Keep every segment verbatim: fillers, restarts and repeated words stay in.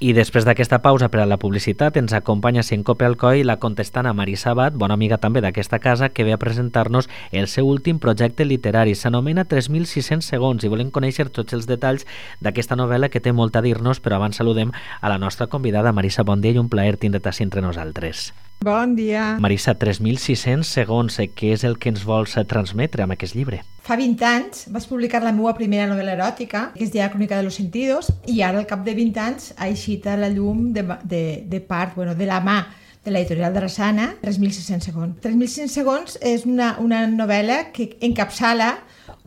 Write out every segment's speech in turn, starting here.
I després d'aquesta pausa per a la publicitat ens acompanya Sincope Alcoi la contestant Marisa Abad, bona amiga també d'aquesta casa, que ve a presentar-nos el seu últim projecte literari. S'anomena tres mil sis-cents segons i volem conèixer tots els detalls d'aquesta novel·la que té molt a dir-nos, però abans saludem a la nostra convidada. Marisa, bon dia i un plaer tindre't així entre nosaltres. Bon dia. Marisa, tres mil sis-cents segons, què és el que ens vols transmetre amb aquest llibre? Fa vint anys vaig publicar la meva primera novel·la eròtica, que es deia Crónica de los sentidos, i ara al cap de vint anys ha eixit a la llum de, de, de part, bueno, de la mà de l'editorial Drassana, tres mil sis-cents segons. tres mil sis-cents segons és una, una novel·la que encapçala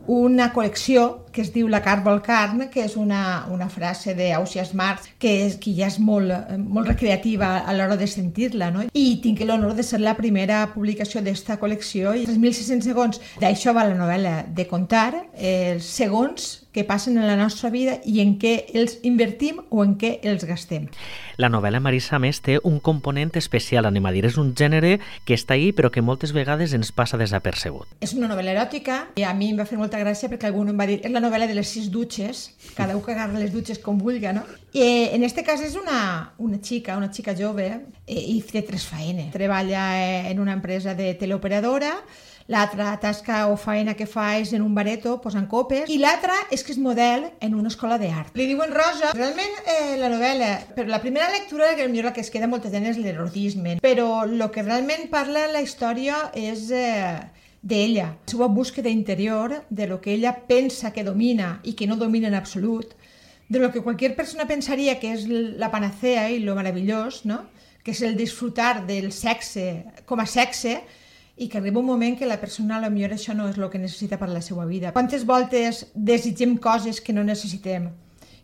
una col·lecció que es diu La carn vol carn, que és una, una frase d'Ausias Marx, que, és, que ja és molt, molt recreativa a l'hora de sentir-la, no? I tinc l'honor de ser la primera publicació d'esta col·lecció, i tres mil sis-cents segons, d'això va la novel·la, de contar els segons que passen en la nostra vida i en què els invertim o en què els gastem. La novel·la, Marisa, a més, té un component especial, anem a dir. És un gènere que està ahí però que moltes vegades ens passa desapercebut. És una novel·la eròtica i a mi em va fer molta gràcia perquè algú em va dir és la novel·la de les sis dutxes, cada un que agarra les dutxes com vulga, no? I en este cas és una, una xica, una xica jove i té tres faenes. Treballa en una empresa de teleoperadora, l'altra tasca o faena que fa és en un bareto posant copes, i l'altra és que és model en una escola d'art. Li diuen Rosa. Realment eh, la novel·la, per la primera lectura, que potser la que es queda molta gent és l'erotisme, però el que realment parla la història és eh, d'ella, la seva búsqueda interior, de lo que ella pensa que domina i que no domina en absolut, de lo que qualsevol persona pensaria que és la panacea i lo meravellós, no? Que és el disfrutar del sexe com a sexe, i que arriba un moment que la persona potser això no és el que necessita per a la seva vida. Quantes voltes desitgem coses que no necessitem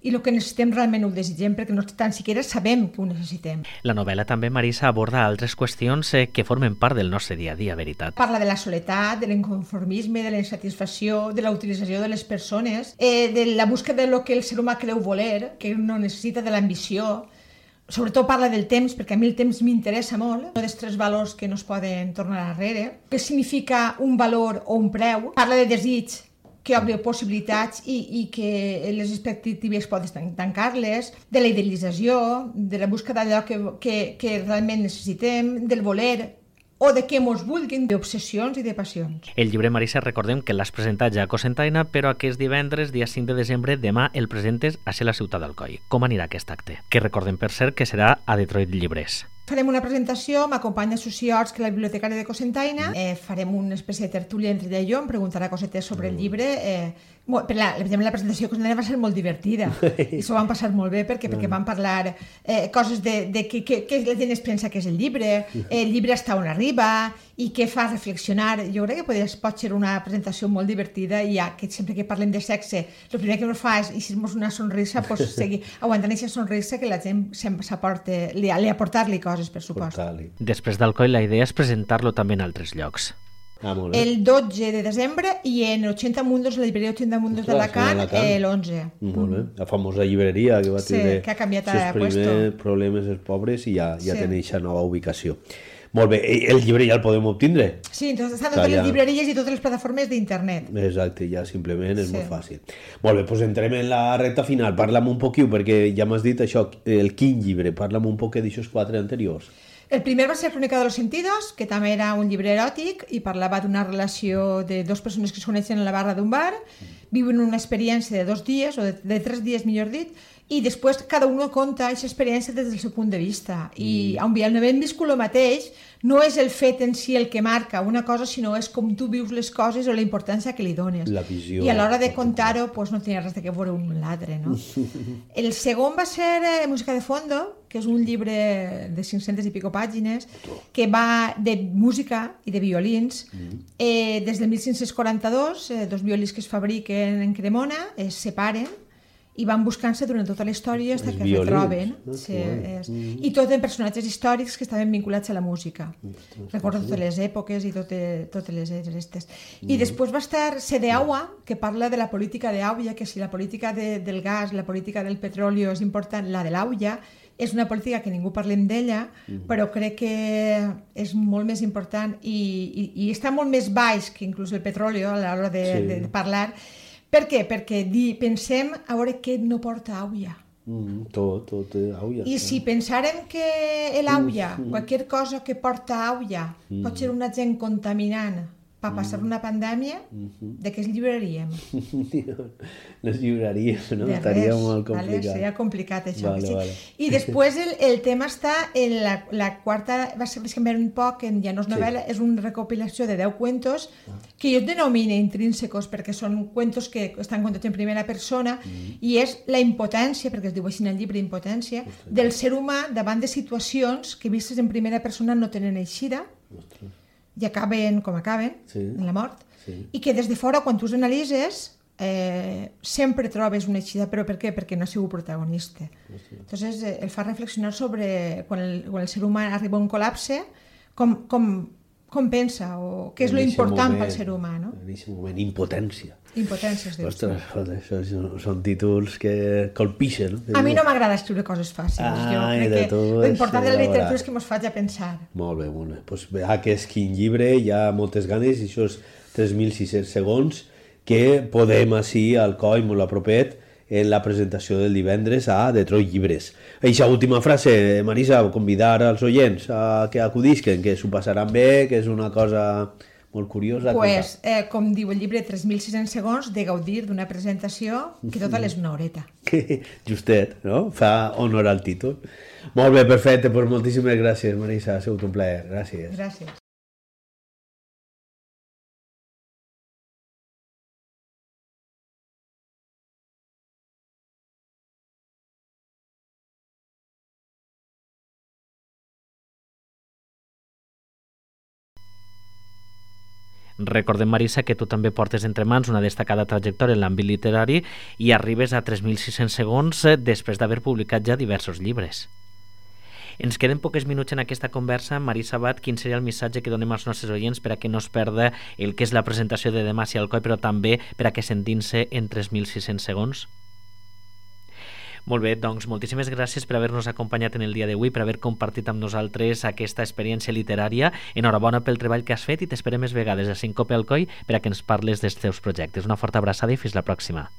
i el que necessitem realment ho desitgem perquè no tan siquiera sabem que ho necessitem. La novel·la també, Marisa, aborda altres qüestions eh, que formen part del nostre dia a dia, veritat. Parla de la soledat, de l'inconformisme, de la insatisfacció, de la utilització de les persones, eh, de la búsqueda de lo que el ser humà creu voler, que no necessita de l'ambició. Sobretot parla del temps, perquè a mi el temps m'interessa molt, dels tres valors que no es poden tornar darrere. Què significa un valor o un preu? Parla de desig, que obre possibilitats i, i que les expectatives poden tancar-les, de la idealització, de la búsqueda d'allò que, que, que realment necessitem, del voler, o de què mos vulguin, d'obsessions i de passions. El llibre, Marisa, recordem que l'has presentat ja a Cocentaina, però aquest divendres, dia cinc de desembre, demà el presentes a ser la ciutat d'Alcoi. Com anirà aquest acte? Que recordem, per cert, que serà a Detroit Llibres. Farem una presentació, m'acompanya Susi Orts, que és la bibliotecària de Cocentaina, eh, farem una espècie de tertúlia entre ella i jo, em preguntarà cosetes sobre el llibre. Eh, per la, la presentació de Cocentaina va ser molt divertida i s'ho van passar molt bé perquè, perquè van parlar eh, coses de, de què, què la gent es pensa que és el llibre, el llibre està on arriba i què fa reflexionar. Jo crec que podria, pot ser una presentació molt divertida i ja que sempre que parlem de sexe el primer que ens fa és eixir-nos una sonrisa, pues, seguir aguantant aquesta sonrisa que la gent s'aporta, li, li aportar-li coses, per supost. Després d'Alcoi, la idea és presentar-lo també en altres llocs. Ah, el dotze de desembre i en ochenta Mundos, la llibreria ochenta Mundos d'Alacant, eh, l'onze. Molt bé, la famosa llibreria que va sí, tenir que ha canviat els primers puesto. problemes els pobres i ja, ja sí. tenen aquesta nova ubicació. Molt bé, el llibre ja el podem obtindre? Sí, entonces estan totes les llibreries i totes les plataformes d'internet. Exacte, ja simplement és sí. molt fàcil. Molt bé, doncs entrem en la recta final. Parla'm un poquiu, perquè ja m'has dit això, el quin llibre, parla'm un poc d'aixòs quatre anteriors. El primer va ser Crónica de los sentidos, que també era un llibre eròtic i parlava d'una relació de dues persones que es coneixen a la barra d'un bar, viuen una experiència de dos dies, o de, de tres dies, millor dit, i després cada un conta aquesta experiència des del seu punt de vista. I on havent viscut el mateix, no és el fet en si el que marca una cosa, sinó és com tu vius les coses o la importància que li dones. La visió. I a l'hora de contar-ho, pues, no tenia res de que veure un amb l'altre, no? El segon va ser eh, Música de fondo, que és un llibre de cinc-centes i pico pàgines, que va de música i de violins. Mm. Eh, des del mil cinc-cents quaranta-dos, eh, dos violins que es fabriquen en Cremona es separen i van buscant-se durant tota la història fins que es retroben. Sí, és... mm. I tot en personatges històrics que estaven vinculats a la música. Mm. Recordo totes les èpoques i totes, totes les aquestes. Mm. I després va estar Sedeaua, que parla de la política d'Auia, que si la política de, del gas, la política del petroli és important, la de l'Auia és una política que ningú parlem d'ella, mm. però crec que és molt més important i, i, i està molt més baix que inclús el petroli a l'hora de, sí. de, de parlar. Per què? Perquè di, pensem a veure què no porta Auia. Mm, tot, tot, eh, aulla. I si pensàrem que l'aulla, qualsevol cosa que porta aulla, pot ser un agent contaminant per passar una pandèmia, de què es lliuraríem? No es lliuraríem, no? De Estaria res, molt vale? complicat. Seria complicat això. Vale, sí. vale. I després el, el tema està en la, la quarta, va ser canviar un poc, en, ja no és novel·la, sí. És una recopilació de deu cuentos que jo denomino intrínsecos perquè són cuentos que estan contats en primera persona mm. i és la impotència, perquè es diu així en el llibre, impotència, Ostres. Del ser humà davant de situacions que vistes en primera persona no tenen eixida. Ostres. I acaben com acaben, sí. En la mort, sí. I que des de fora, quan tu els analitzes, eh, sempre trobes una eixida, però per què? Perquè no ha sigut protagonista. Sí. Entonces, eh, el fa reflexionar sobre quan el, quan el ser humà arriba a un col·lapse, com, com, com pensa, o què és lo important pel ser humà, no? En aquest moment, impotència. Impotència, es diu. Ostres, això són, són títols que colpixen. No? A mi no m'agrada escriure coses fàcils. Ai, jo crec que l'important de la literatura és que ens faci a pensar. Molt bé, molt bé. Pues, veurà que és quin llibre, hi ha moltes ganes, i això és tres mil sis-cents segons, que podem així al coll, molt a propet, en la presentació del divendres a Detroit Llibres. Eixa última frase, Marisa, convidar als oients a que acudisquen, que s'ho passaran bé, que és una cosa molt curiosa. Pues, eh, com diu el llibre, tres mil sis-cents segons de gaudir d'una presentació que total és una horeta. Justet, no? Fa honor al títol. Molt bé, perfecte. Pues moltíssimes gràcies, Marisa. Ha sigut un plaer. Gràcies. Gràcies. Recordem, Marisa, que tu també portes entre mans una destacada trajectòria en l'àmbit literari i arribes a tres mil sis-cents segons després d'haver publicat ja diversos llibres. Ens queden pocs minuts en aquesta conversa. Marisa Abad, quin seria el missatge que donem als nostres oients per a que no es perda el que és la presentació de demà si al coi, però també per a que s'endinse en tres mil sis-cents segons? Molt bé, doncs moltíssimes gràcies per haver-nos acompanyat en el dia d'avui, per haver compartit amb nosaltres aquesta experiència literària. Enhorabona pel treball que has fet i t'esperem més vegades a Sincope al Coll per a que ens parles dels teus projectes. Una forta abraçada i fins la pròxima.